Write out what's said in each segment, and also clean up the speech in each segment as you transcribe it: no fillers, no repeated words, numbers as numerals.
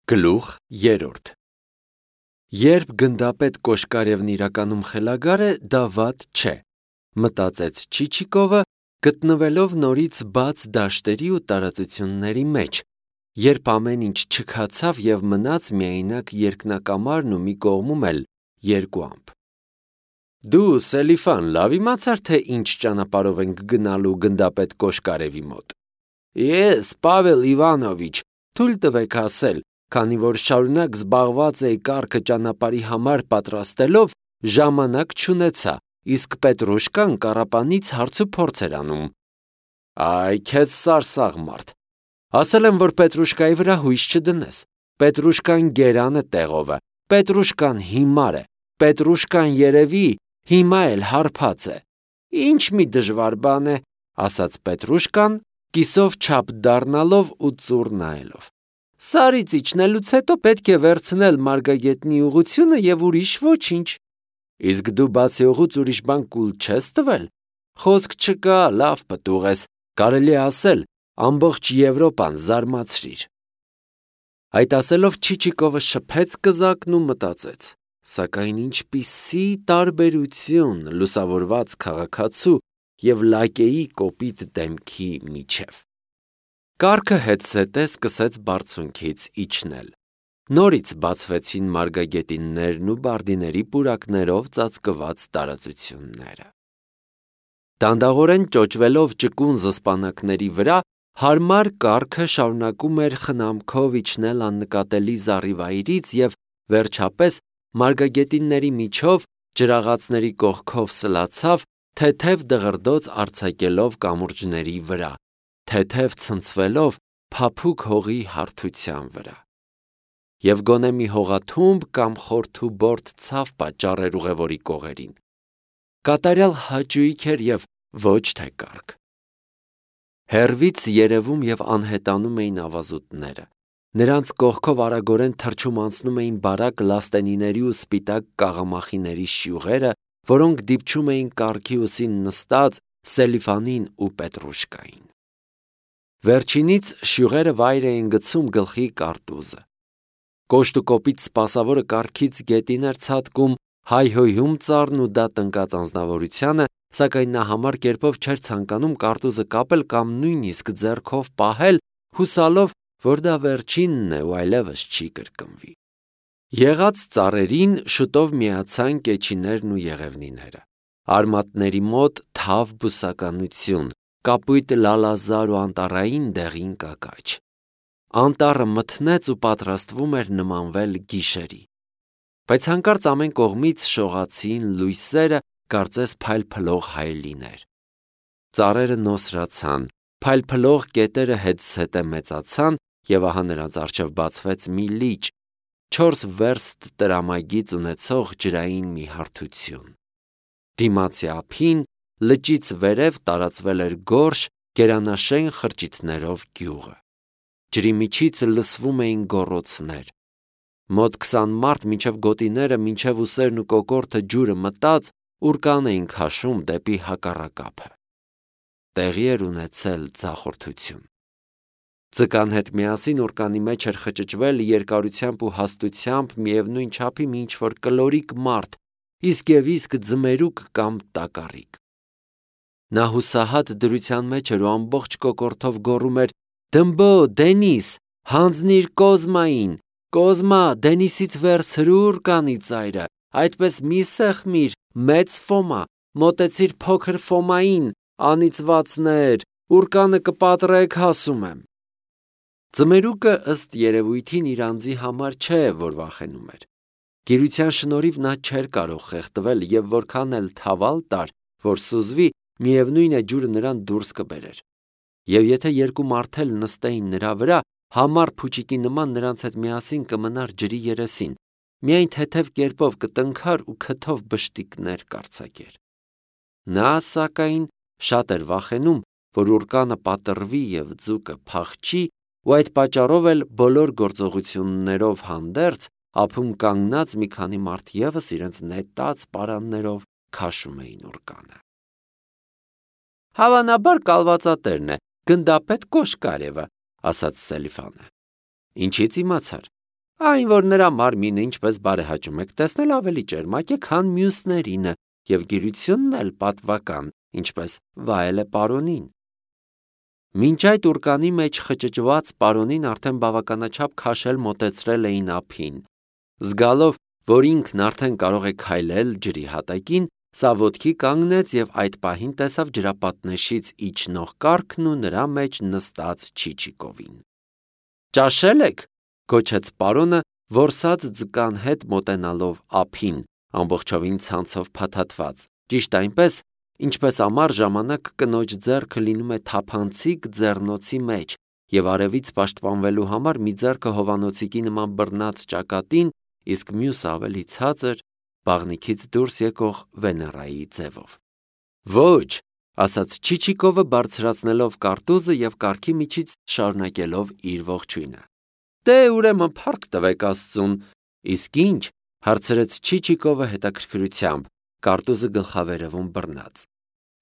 Գլուխ 3 Երբ գնդապետ Կոշկարևն իրականում խելագար է, դա վատ չէ, մտածեց Չիչիկովը, գտնվելով նորից բաց դաշտերի ու տարածությունների մեջ, երբ ամեն ինչ չքացավ և մնաց միայնակ երկնակամարն ու մի կողմում էլ երկու ամպ։ Դու, Սելիֆան, լավ իմացար, թե ինչ ճանապարհով ենք գնալու գնդապետ Կոշկարևի մոտ։ Ես, Պավել Իվանովիչ, թույլ տվեք ասել, քանի որ շարունակ զբաղված էի կառքը ճանապարհի համար պատրաստելով, ժամանակ չունեցա, իսկ Պետրուշկան կառապանից հարցուփորձ էր անում։ Այ քեզ սարսաղ մարդ։ Ասել եմ, որ Պետրուշկայի վրա հույս չդնես։ Պետրուշկան գերան է տեղով է, Պետրուշկան հիմար է, Պետրուշկան երևի հիմա էլ հարբած է։ Ինչ մի դժվար բան է, ասաց Պետրուշկան, կիսով չափ դառնալով ու ծուռ նայելով։ Սարից իջնելուց հետո պետք է վերցնել Մարգագետնի ուղղությունը և ուրիշ ոչինչ։ Իսկ դու բացի օղուց ուրիշ բան կուլ չես տվել։ Խոսք չկա, լավ պտուղ ես, կարելի է ասել, ամբողջ Եվրոպան զարմացրիր։ Այդ ասելով Չիչիկովը շփեց կզակն ու մտածեց. սակայն ինչպիսի տարբերություն լուսավորված քաղաքացու և լակեի կոպիտ դեմքի միջև։ Կառքը հետզհետե սկսեց բարձունքից իջնել։ Նորից բացվեցին մարգագետիններն ու բարդիների պուրակներով ծածկված տարածությունները։ Դանդաղորեն ճոճվելով ճկուն զսպանակների վրա, հարմար կառքը շարունակում էր խնամքով իջնել աննկատելի զառիվայրից և, վերջապես, մարգագետինների միջով, ջրաղացների կողքով սլացավ, թեթև դղրդոց արձակելով կամուրջների վրա, թեթև ցնցվելով փափուկ հողի հարթության վրա։ Եվ գոնե մի հողաթումբ կամ խորթուբորդ ցավ պատճառ էր ուղևորի կողերին։ Կատարյալ հաճույք էր և ոչ թե կառք։ Հեռվից երևում և անհետանում էին ավազուտները։ Նրանց կողքով արագորեն թռչում անցնում էին բարակ լաստենիների ու սպիտակ կաղամախիների շյուղերը, որոնք դիպչում էին կառքի ուսին նստած Սելիֆանին ու Պետրուշկային։ Վերջինից շյուղերը վայր էին գցում գլխի կարտուզը։ Կոշտ ու կոպիտ սպասավորը կառքից գետին էր ցատկում, հայհոյում ծառն ու դա տնկած անձնավորությանը, սակայն նա համար կերպով չէր ցանկանում կարտուզը կապել կամ նույնիսկ ձեռքով պահել, հուսալով, որ դա վերջինն է ու այլևս չի կրկնվի։ Եղած ծառերին շուտով միացան կեչիներն ու եղևնիները։ Արմատների մոտ թավ բուսականություն, կապույտ լալազար ու անտառային դեղին կակաչ։ Անտառը մթնեց ու պատրաստվում էր նմանվել գիշերի։ Բայց հանկարծ ամեն կողմից շողացին լույսերը, կարծես փայլփլող հայելիներ։ Ծառերը նոսրացան, փայլփլող կետերը հետզհետե մեծացան և ահա նրանց առջև բացվեց մի լիճ, 4 վերստ տրամագիծ ունեցող ջրային մի հարթություն։ Դիմացի ափին, լճից վերև տարածվել էր գորշ, գերանաշեն խրճիթներով գյուղը։ Ջրի միջից լսվում էին գոռոցներ։ Մոտ 20 մարդ մինչև գոտիները, մինչև ուսերն ու կոկորդը ջուրը մտած, ուռկան էին քաշում դեպի հակառակափը։ Տեղի էր ունեցել ձախորդություն։ Ձկան հետ միասին ուռկանի մեջ էր խճճվել երկարությամբ ու հաստությամբ միևնույն չափի մի ինչ-որ կլորիկ մարդ, իսկ և իսկ ձմերուկ կամ տակառիկ։ Նա հուսահատ դրության մեջ էր ու ամբողջ կոկորդով գոռում էր. «Դմբո, Դենիս, հանձնիր Կոզմային, Կոզմա, Դենիսից վերցրու ուռկանի ծայրը, այդպես մի սեղմիր, մեծ Ֆոմա, մոտեցիր փոքր Ֆոմային, անիծվածներ, ուռկանը կպատրեք, ասում եմ»։ Ձմերուկը ըստ երևույթին իր անձի համար չէ, որ վախենում էր։ Գիրության շնորհիվ նա չէր կարող խեղդվել և որքան էլ թավալ տար, որ սուզվի, միևնույն է ջուրը նրան դուրս կբերեր։ Եվ եթե երկու մարդ էլ նստեին նրա վրա, համառ փուչիկի նման նրանց հետ միասին կմնար ջրի երեսին, միայն թեթև կերպով կտնքար ու քթով բշտիկներ կարձակեր։ Նա, սակայն, շատ էր վախենում, որ ուռկանը պատռվի և ձուկը փախչի, ու այդ պատճառով էլ բոլոր գործողություններով հանդերձ ափում կանգնած մի քանի մարդ ևս իրենց նետած պարաններով քաշում էին ուռկանը։ Հավանաբար կալվածատերն է, գնդապետ Կոշկարևը, ասաց Սելիֆանը։ Ինչից իմացար։ Այն, որ նրա մարմինը ինչպես բարեհաճում եք տեսնել, ավելի ճերմակ է, քան մյուսներինը, եւ գիրությունն էլ պատվական, ինչպես վայել է պարոնին։ Մինչ այդ ուրկանի մեջ խճճված պարոնին արդեն բավականաչափ քաշել մոտեցրել էին ափին։ Զգալով, որ ինքն արդեն կարող է քայլել ջրի հատակին, սա ոտքի կանգնեց եւ այդ պահին տեսավ ջրապատնեշից իջնող կառքն ու նրա մեջ նստած Չիչիկովին։ «Ճաշել եք», գոչեց պարոնը, որսած ձկան հետ մոտենալով ափին, ամբողջովին ցանցով փաթաթված, ճիշտ այնպես, ինչպես ամառ ժամանակ կնոջ ձեռքը լինում է թափանցիկ ձեռնոցի մեջ եւ արևից պաշտպանվելու համար մի ձեռքը հովանոցիկի նման բռնած ճակատին, իսկ մյուսը ավելի ցածր, բաղնիքից դուրս եկող Վեներայի ձևով։ «Ոչ», ասաց Չիչիկովը բարձրացնելով կարտուզը եւ կառքի միջից շարունակելով իր ողջույնը։ «Դե ուրեմն փառք տվեք Աստծուն»։ «Իսկ ինչ», հարցրեց Չիչիկովը հետաքրքրությամբ, կարտուզը գլխավերևում բռնած։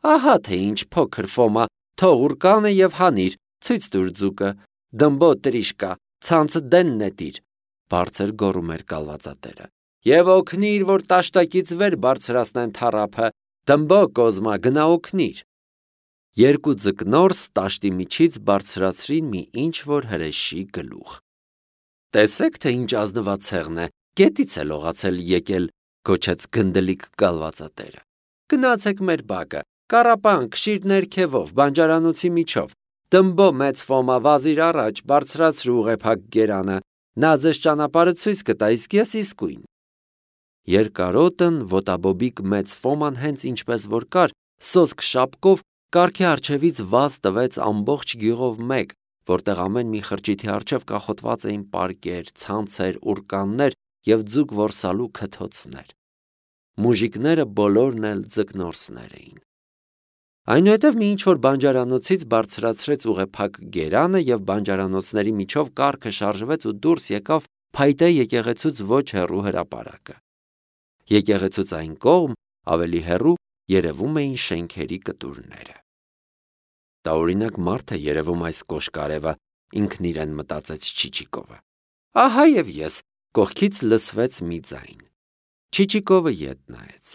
«Ահա թե ինչ, փոքր Ֆոմա, թող ուրկանը եւ հանիր, ցույց տուր ձուկը, դմբո տրիշկա, ցանցը դեն նետիր», բարձր գոռում էր կալվածատերը։ «Եվ օգնիր, որ տաշտակից վեր բարձրացնեն թառափը, դմբո Կոզմա, գնա օգնիր»։ Երկու ձկնորս տաշտի միջից բարձրացրին մի ինչ-որ հրեշի գլուխ։ «Տեսեք, թե ինչ ազնված ցեղն է, գետից է լողացել եկել», գոչեց գնդլիկ կալվածատերը։ «Գնացեք մեր բակը, կառապան, քշիր ներքևով, բանջարանոցի միջով, դմբո մեծ Ֆոմա, վազիր առաջ, բարձրացրու ուղեփակ գերանը, նա ձեզ ճանապարհը ցույց կտա, իսկ ես իսկույն»։ Երկարոտն ոտաբոբիկ մեծ Ֆոման հենց ինչպես որ կար, սոսկ շապկով կառքի առջևից վազ տվեց ամբողջ գյուղով մեկ, որտեղ ամեն մի խրճիթի առջև կախոտված էին պարկեր, ցանցեր, ուրկաններ եւ ձուկ որսալու քթոցներ։ Մուժիկները բոլորն էլ ձկնորսներ էին։ Այնուհետև մի ինչ-որ բանջարանոցից բարձրացրեց ուղեփակ գերանը եւ բանջարանոցների միջով կառքը շարժվեց ու դուրս եկավ փայտե եկեղեցուց ոչ հեռու հրապարակը։ Եկեղեցուց այն կողմ, ավելի հեռու, երևում էին շենքերի կտուրները։ Տարօրինակ մարդ է երևում այս կոշկարևը, ինքն իրեն մտածեց Չիչիկովը։ Ահա եւ ես, կողքից լսվեց մի ձայն։ Չիչիկովը ետ նայեց։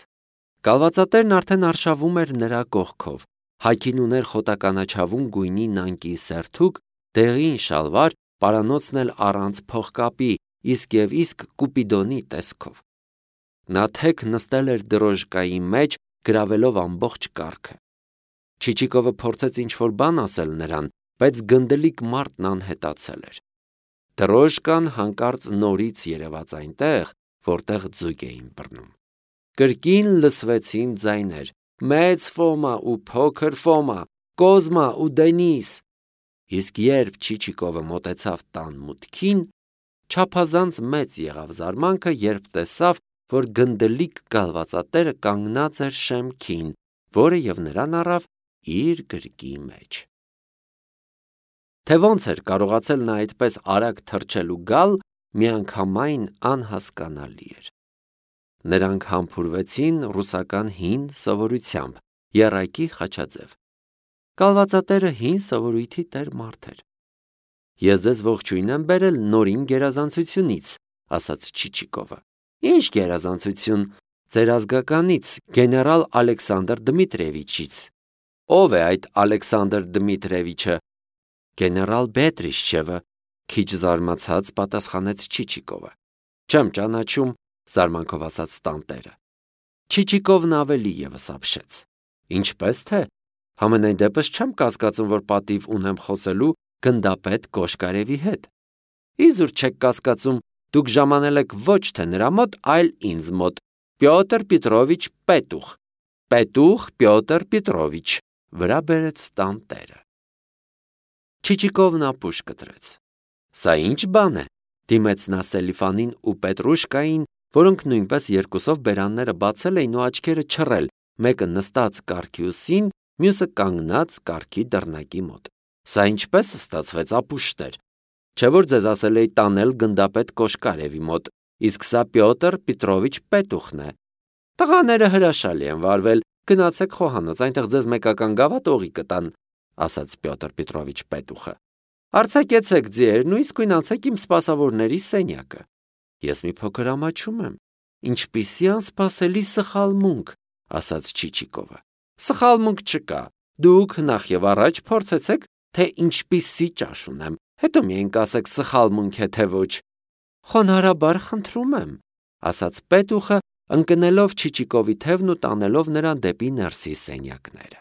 Կալվածատերն արդեն արշավում էր նրա կողքով, հագին ուներ խոտականաչավուն գույնի նանկի սերթուկ, դեղին շալվար, պարանոցն էլ առանց փողկապի, իսկ եւ իսկ Կուպիդոնի տեսքով։ Նա թեք նստել էր դրոժկայի մեջ, գրավելով ամբողջ կառքը։ Չիչիկովը փորձեց ինչ-որ բան ասել նրան, բայց գնդլիկ մարդն անհետացել էր։ Դրոժկան հանկարծ նորից երևաց այնտեղ, որտեղ ձուկ էին բռնում։ Կրկին լսվեցին ձայներ. «Մեծ Ֆոմա ու փոքր Ֆոմա, Կոզմա ու Դենիս»։ Իսկ երբ Չիչիկովը մոտեցավ տան մուտքին, չափազանց մեծ եղավ զարմանքը, երբ տեսավ, որ գնդլիկ կալվածատերը կանգնած էր շեմքին, որը եւ նրան առավ իր գրկի մեջ։ Թե ոնց էր կարողացել նա այդպես արագ թռչել ու գալ, միանգամայն անհասկանալի էր։ Նրանք համբուրվեցին ռուսական հին սովորությամբ, եռակի խաչաձև։ Կալվածատերը հին սովորույթի տեր մարդ էր։ Ես ձեզ ողջույն եմ բերել նորին գերազանցությունից, ասաց Չիչիկովը։ Ինչ գերազանցություն, ձեր ազգականից, գեներալ Ալեքսանդր Դմիտրիևիչից։ Ով է այդ Ալեքսանդր Դմիտրիևիչը։ Գեներալ Բետրիշչևը, քիչ զարմացած պատասխանեց Չիչիկովը։ Չեմ ճանաչում, զարմանքով ասաց տանտերը։ Չիչիկովն ավելի եւս ապշեց։ Ինչպես թե, համենայն դեպս չեմ կասկածում, որ պատիվ ունեմ խոսելու գնդապետ Կոշկարևի հետ։ Իզուր չեք կասկածում, դուք ժամանել եք ոչ թե նրա մոտ, այլ ինձ մոտ, Պյոտր Պետրովիչ Պետուխ։ Պետուխ Պյոտր Պետրովիչ, վրա բերեց տանտերը։ Չիչիկովն ապուշ կտրեց։ Սա ինչ բան է, դիմեց նա Սելիֆանին ու Պետրուշկային, որոնք նույնպես երկուսով բերանները բացել էին ու աչքերը չռել, մեկը նստած կառքի ուսին, մյուսը կանգնած կառքի դռնակի մոտ։ Սա ինչպես ստացվեց ապուշներ։ Չէ որ ձեզ ասել էի տանել գնդապետ Կոշկարևի մոտ, իսկ սա Պյոտր Պետրովիչ Պետուխն է։ Տղաները հրաշալի են վարվել, գնացեք խոհանոց, այնտեղ ձեզ մեկական գավաթ օղի կտան, ասաց Պյոտր Պետրովիչ Պետուխը։ Արձակեցեք ձիերն ու իսկույն անցեք իմ սպասավորների սենյակը։ Ես մի փոքր ամաչում եմ։ Ինչպիսի անսպասելի սխալմունք, ասաց Չիչիկովը։ Սխալմունք չկա։ Դուք նախ եւ առաջ փորձեցեք, թե ինչպիսի ճաշ ունեմ, հետո միայն կասեք սխալմունք է թե ոչ։ Խոնարհաբար խնդրում եմ, ասաց պետուխը, ընկնելով Չիչիկովի թևն ու տանելով նրան դեպի ներսի սենյակները։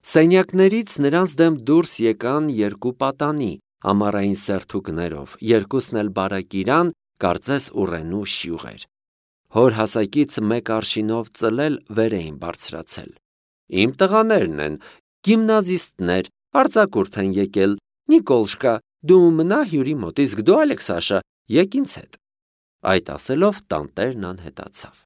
Սենյակներից նրանց դեմ դուրս եկան երկու պատանի, ամառային սերթուկներով, երկուսն էլ բարակիրան, կարծես ուռենու շյուղեր։ Հոր հասակից մեկ արշինով ծլել վեր էին բարձրացել։ Իմ տղաներն են, գիմնազիստներ, արձակուրդ են եկել։ Նիկոլշկա, դու մնա հյուրի մոտ, իսկ դու, Ալեքսաշա, եկ ինձ հետ։ Այդ ասելով տանտերն անհետացավ։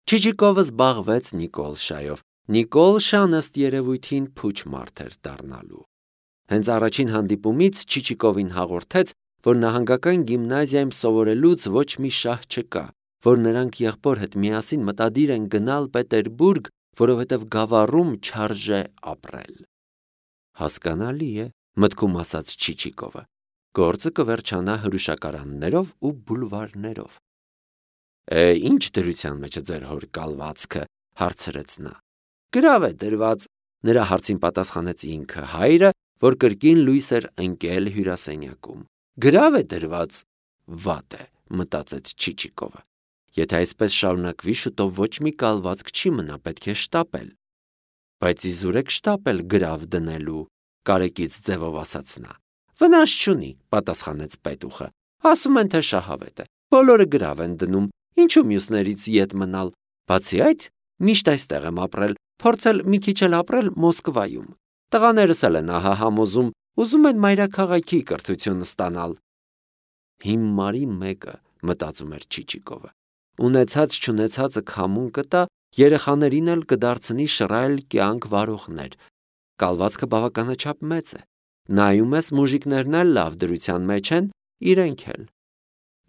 Չիչիկովը զբաղվեց Նիկոլշայով։ Նիկոլշան ըստ երևույթին փուչ մարդ էր դառնալու։ Հենց առաջին հանդիպումից Չիչիկովին հաղորդեց, որ նահանգական գիմնազիայում սովորելուց ոչ մի շահ չկա, որ նրանք եղբոր հետ միասին մտադիր են գնալ Պետերբուրգ, որովհետև գավառում չարժե ապրել։ Հասկանալի է, մտքում ասաց Չիչիկովը։ Գործը կվերջանա հրուշակարաններով ու բուլվարներով։ Ինչ դրության մեջ է ձեր հոր կալվածքը, հարցրեց նա։ Գրավ է դրված, նրա հարցին պատասխանեց ինքը, հայրը, որ կրկին լույս էր ընկել հյուրասենյակում։ Գրավ է դրված, վատ է, մտածեց Չիչիկովը։ Եթե այսպես շարունակվի, շուտով ոչ մի կալվածք չի մնա, պետք է շտապել։ Բայց իզուր եք շտապել գրավ դնելու, կարեկից ձևով ասաց նա։ Վնաս չունի, պատասխանեց պետուխը։ Ասում են, թե շահավետ է։ Բոլորը գրավ են դնում, ինչու մյուսներից ետ մնալ։ Բացի այդ, միշտ այստեղ եմ ապրել, փորձել մի քիչ էլ ապրել Մոսկվայում։ Տղաներս էլ են ահա համոզում, ուզում են մայրաքաղաքի կրթություն ստանալ։ Հիմարի մեկը, մտածում էր Չիչիկովը, ունեցած չունեցածը քամուն կտա, երեխաներին էլ կդարձնի շռայլ կյանք վարողներ։ Կալվածքը բավականաչափ մեծ է։ Նայում ես մուժիկներն էլ լավ դրության մեջ են, իրենք էլ։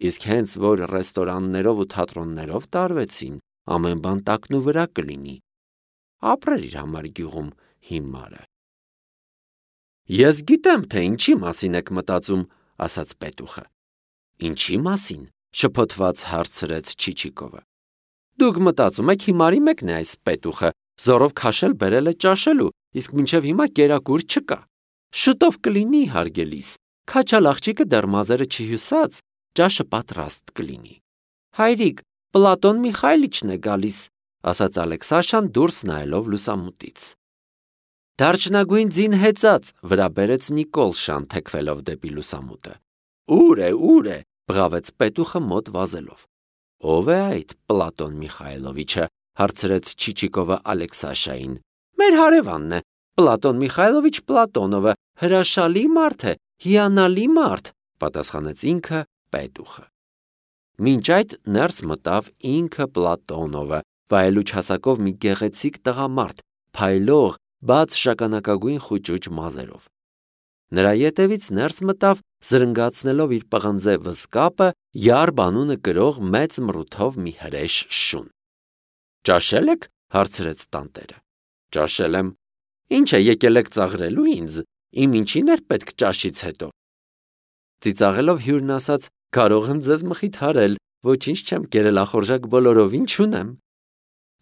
Իսկ հենց որ ռեստորաններով ու թատրոններով տարվեցին, ամեն բան տակնու վրա կլինի։ Ապրեր իր համար գյուղում հիմարը։ Ես գիտեմ, թե ինչի մասին եք մտածում, ասաց պետուխը։ Ինչի մասին, շփոթված հարցրեց Չիչիկովը։ Դուք մտածում եք հիմարի մեկն է այս պետուխը, զորով քաշել բերել է ճաշելու, իսկ մինչև հիմա կերակուր չկա։ Շուտով կլինի, հարգելիս, քաչալ աղջիկը դեռ մազերը չհյուսած, ճաշը պատրաստ կլինի։ Հայրիկ, Պլատոն Միխայլիչն է գալիս, ասաց Ալեքսաշան դուրս նայելով լուսամուտից։ Դարչնագույն ձին հեծած, վրա բերեց Նիկոլշան, թեքվելով դեպի լուսամուտը։ Ուր է, բղավեց պետուխը մոտ վազելով։ Ո՞վ է այդ Պլատոն Միխայլովիչը, հարցրեց Չիչիկովը Ալեքսաշային։ Մեր հարևանն է, Պլատոն Միխայլովիչ Պլատոնովը, հրաշալի մարդ է, հիանալի մարդ, պատասխանեց ինքը պետուխը։ Մինչ այդ ներս մտավ ինքը Պլատոնովը, վայելուչ հասակով մի գեղեցիկ տղամարդ, փայլող, բաց շագանակագույն խուճուճ մազերով։ Նրա ետևից ներս մտավ, զրնգացնելով իր պղնձե վզկապը, Յարբ անունը կրող մեծ մռութով մի հրեշ շուն։ Ճաշել եք, հարցրեց տանտերը։ Ճաշել եմ։ Ինչ է, եկել եք ծաղրելու ինձ, իմ ինչին էր պետք ճաշից հետո։ Ծիծաղելով հյուրն ասաց. կարող եմ ձեզ մխիթարել, ոչինչ չեմ կերել, ախորժակ բոլորովին չունեմ։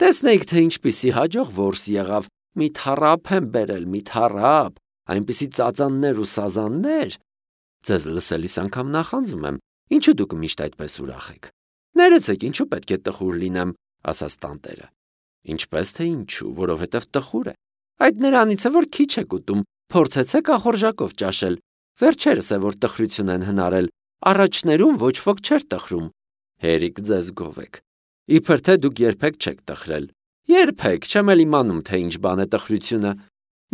Տեսնեիք, թե ինչպիսի հաջող որս եղավ, մի թառափ եմ բերել, մի թառափ, այնպիսի ծածաններ ու սազաններ։ Ձեզ լսելիս անգամ նախանձում եմ, ինչու դուք միշտ այդպես ուրախ եք։ Ներեցեք, ինչու պետք է տխուր լինեմ, ասաց տանտերը։ Ինչպես թե ինչու, որովհետև տխուր է։ Այդ նրանից է, որ քիչ եք ուտում, փորձեցեք ախորժակով ճաշել։ Վերջերս է, որ տխրություն են հնարել, առաջներում ոչ ոք չէր տխրում։ Հերիք ձեզ գովեք։ Իբր թե դուք երբեք չեք տխրել։ Երբեք չեմ էլ իմանում, թե ինչ բան է տխրությունը։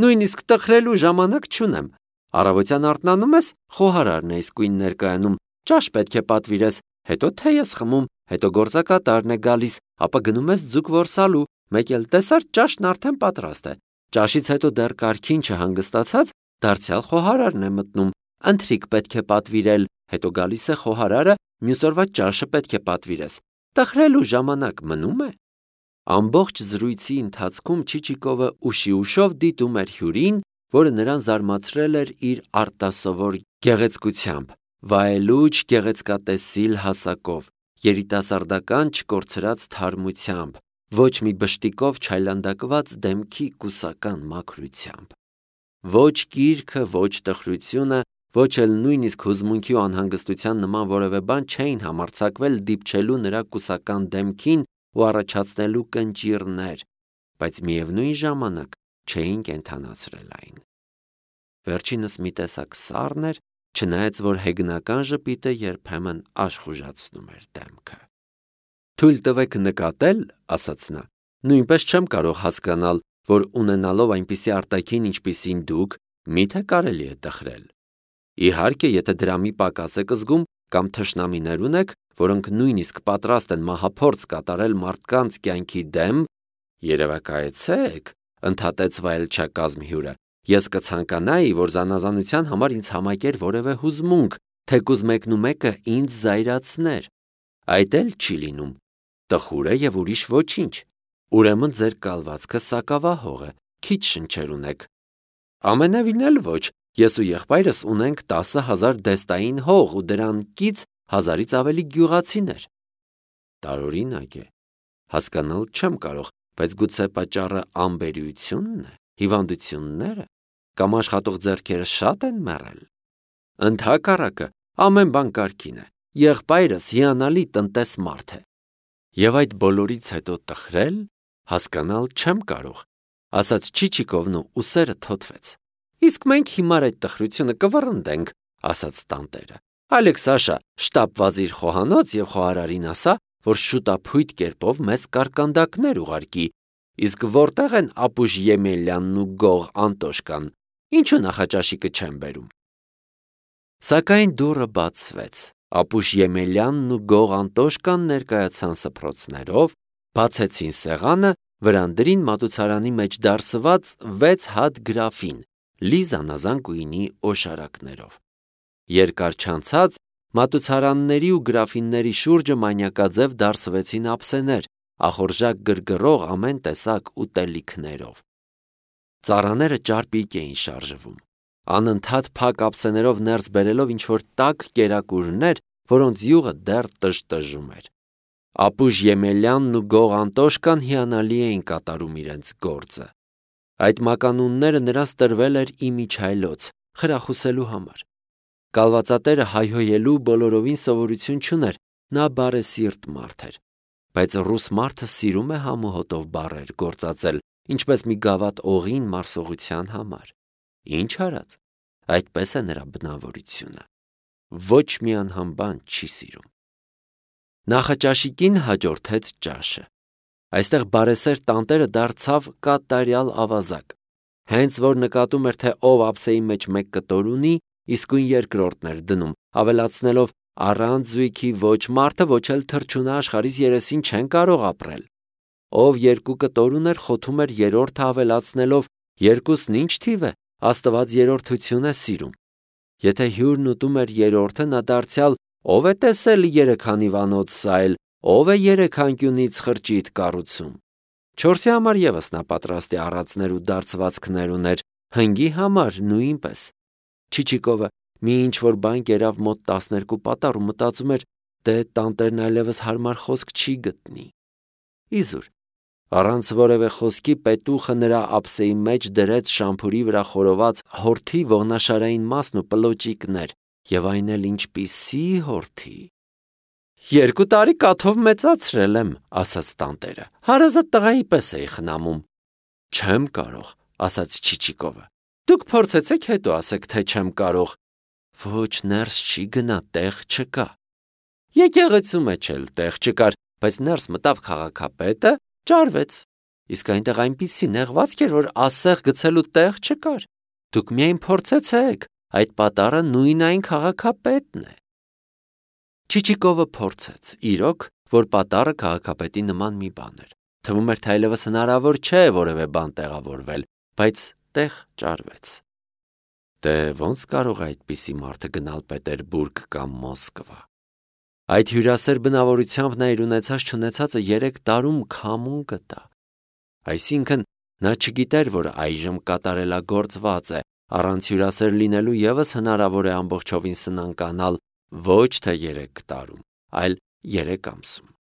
Նույնիսկ տխրելու ժամանակ չունեմ։ Առավոտյան արթնանում ես, խոհարարն է իսկույն ներկայանում, ճաշ պետք է պատվիրես, հետո թե ես խմում, հետո գործակատարն է գալիս, ապա գնում ես ձուկ որսալու, մեկ էլ տեսար ճաշն արդեն պատրաստ է։ Ճաշից հետո դեռ կարգին չհանգստացած, դարձյալ խոհարարն է մտնում, ընթրիք պետք է պատվիրել, հետո գալիս է խոհարարը, մյուս օրվա ճաշը պետք է պատվիրես։ Տխրելու ժամանակ մնում է։ Ամբողջ զրույցի ընթացքում Չիչիկովը ուշի ուշով դիտում էր հյուրին, որը նրան զարմացրել էր իր արտասովոր գեղեցկությամբ, վայելուչ գեղեցկատեսիլ հասակով, երիտասարդական չկորցրած թարմությամբ, ոչ մի բշտիկով չայլանդակված դեմքի կուսական մաքրությամբ։ Ոչ գիրքը, ոչ տխրությունը, ոչ էլ նույնիսկ հուզմունքի ու անհանգստության նման որևէ բան չէին համարձակվել դիպչելու նրա կուսական դեմքին ու առաջացնելու կնճիռներ, բայց միևնույն ժամանակ չէին կենդանացրել այն։ Վերջինս մի տեսակ սառն էր, չնայած որ հեգնական ժպիտը երբեմն աշխուժացնում էր դեմքը։ «Թույլ տվեք նկատել», ասաց նա, «նույնպես չեմ կարող հասկանալ, որ ունենալով այնպիսի արտաքին, ինչպիսին դուք, միթե կարելի է տխրել։ Իհարկե, եթե դրա մի պակաս եք զգում կամ թշնամիներ ունեք, որոնք նույնիսկ պատրաստ են մահափորձ կատարել մարդկանց կյանքի դեմ, երևակայեցեք», ընդհատեց վայելչակազմ հյուրը, «ես կցանկանայի, որ զանազանության համար ինձ համակեր որևէ հուզմունք, թեկուզ մեկնումեկը ինձ զայրացներ։ Այդ էլ չի լինում, տխուր է և ուրիշ ոչինչ։ Ուրեմն ձեր կալվածքը սակավահող է, քիչ շնչեր ունեք։ Ամենևին էլ ոչ, ես ու եղբայրս ունենք 10,000 դեստային հող ու դրան կից 1000-ից ավելի գյուղացիներ։ Տարօրինակ է, հասկանալ չեմ կարող, բայց գուցե պատճառը անբերությունն է, հիվանդությունները, կամ աշխատող ձեռքերը շատ են մեռել։ Ընդհակառակը, ամեն բան կարգին է, եղբայրս հիանալի տնտես մարդ է։ Եվ այդ բոլորից հետո տխրել, հասկանալ չեմ կարող, ասաց Չիչիկովն ու ուսերը թոթվեց։ Իսկ մենք հիմար այդ տխրությունը կվռնդենք, ասաց տանտերը։ Ալեք Սաշա, շտապ վազիր խոհանոց և խոհարարին ասա, որ շուտափույթ կերպով մեզ կարկանդակներ ուղարկի, իսկ որտեղ են Ապուշ Եմելյանն ու Գող Անտոշկան, ինչու նախաճաշիկը չեն բերում։ Սակայն դուռը բացվեց, Ապուշ Եմելյանն ու Գող Անտոշկան ներկայացան սփռոցներով, բացեցին սեղանը, վրան դրին մատուցարանի մեջ դարսված 6 հատ գրաֆին, լի զանազան գույնի օշարակներով։ Երկար չանցած մատուցարանների ու գրաֆինների շուրջը մանյակաձև դարսվեցին ափսեներ, ախորժակ գրգռող ամեն տեսակ ուտելիքներով։ Ծառաները ճարպիկ էին շարժվում, անընդհատ փակ ափսեներով ներս բերելով ինչ-որ տաք կերակուրներ, որոնց յուղը դեռ տժտժում էր։ Ապուշ Եմելյանն ու Գող Անտոշկան հիանալի էին կատարում իրենց գործը։ Այդ մականունները նրանց տրվել էր իմիջայլոց, խրախուսելու համար։ Կալվածատերը հայհոյելու բոլորովին սովորություն չուներ, նա բարեսիրտ մարդ էր, բայց ռուս մարդը սիրում է համ ու հոտով բառեր գործածել, ինչպես մի գավաթ օղին մարսողության համար։ Ինչ արած, այդպես է նրա բնավորությունը։ Ոչ մի անհամբան չի սիրում։ Նախաճաշիկին հաջորդեց ճաշը։ Այստեղ բարեսեր տանտերը դարձավ կատարյալ ավազակ։ Հենց որ նկատում էր, թե ով ափսեի մեջ մեկ կտոր ունի, իսկույն երկրորդն էր դնում, ավելացնելով առանց զույգի ոչ մարդը, ոչ էլ թռչունը աշխարհիս երեսին չեն կարող ապրել։ Ով 2 կտոր ուներ, խոթում էր երրորդը ավելացնելով, երկուսն ինչ թիվ է, Աստված երրորդություն է սիրում։ Եթե հյուրն ուտում էր երրորդը, նա դարձյալ ով է տեսել 3 անիվանոց սայլ, ով է 3 անկյունից խրճիթ կառուցում։ 4-ի համար եւս նա պատրաստ է առածներ ու դարձվածքներ ուներ, հնգի համար նույնպես։ Չիչիկովը մի ինչ-որ բան կերավ մոտ 12 պատառ ու մտածում էր, դե տանտերն այլևս հարմար խոսք չի գտնի։ Իզուր, առանց որևէ խոսքի պետուխը նրա ափսեի մեջ դրեց շամփուրի վրա խորոված հորթի ողնաշարային մասն ու պլոճիկներ, եւ այն էլ ինչպիսի հորթի։ 2 տարի կաթով մեծացրել եմ, ասաց տանտերը, հարազատ տղայի պես էի խնամում։ Չեմ կարող, ասաց Չիչիկովը։ Դուք փորձեցեք հետո ասեք, թե չեմ կարող։ Ոչ, ներս չի գնա, տեղ չկա։ Եկեղեցու մեջ էլ տեղ չկար, բայց ներս մտավ քաղաքապետը, ճարվեց։ Իսկ այնտեղ այնպիսի նեղվածք էր, որ ասեղ գցելու տեղ չկար։ Դուք միայն փորձեցեք, այդ պատառը նույն այն քաղաքապետն է։ Չիչիկովը փորձեց, իրոք, որ պատառը քաղաքապետի նման մի բան էր։ Թվում էր, թե այլևս հնարավոր չէ որևէ բան տեղավորվել, բայց տեղ ճարվեց։ Դե ոնց կարող է այդպիսի մարդը գնալ Պետերբուրգ կամ Մոսկվա։ Այդ հյուրասեր բնավորությամբ նա իր ունեցած չունեցածը 3 տարում քամուն գտա։ Այսինքն Նա չգիտեր, որ այժմ կատարելագործված է, առանց հյուրասեր լինելու ևս հնարավոր է ամբողջովին սնանկանալ ոչ թե 3 տարում, այլ 3 ամսում։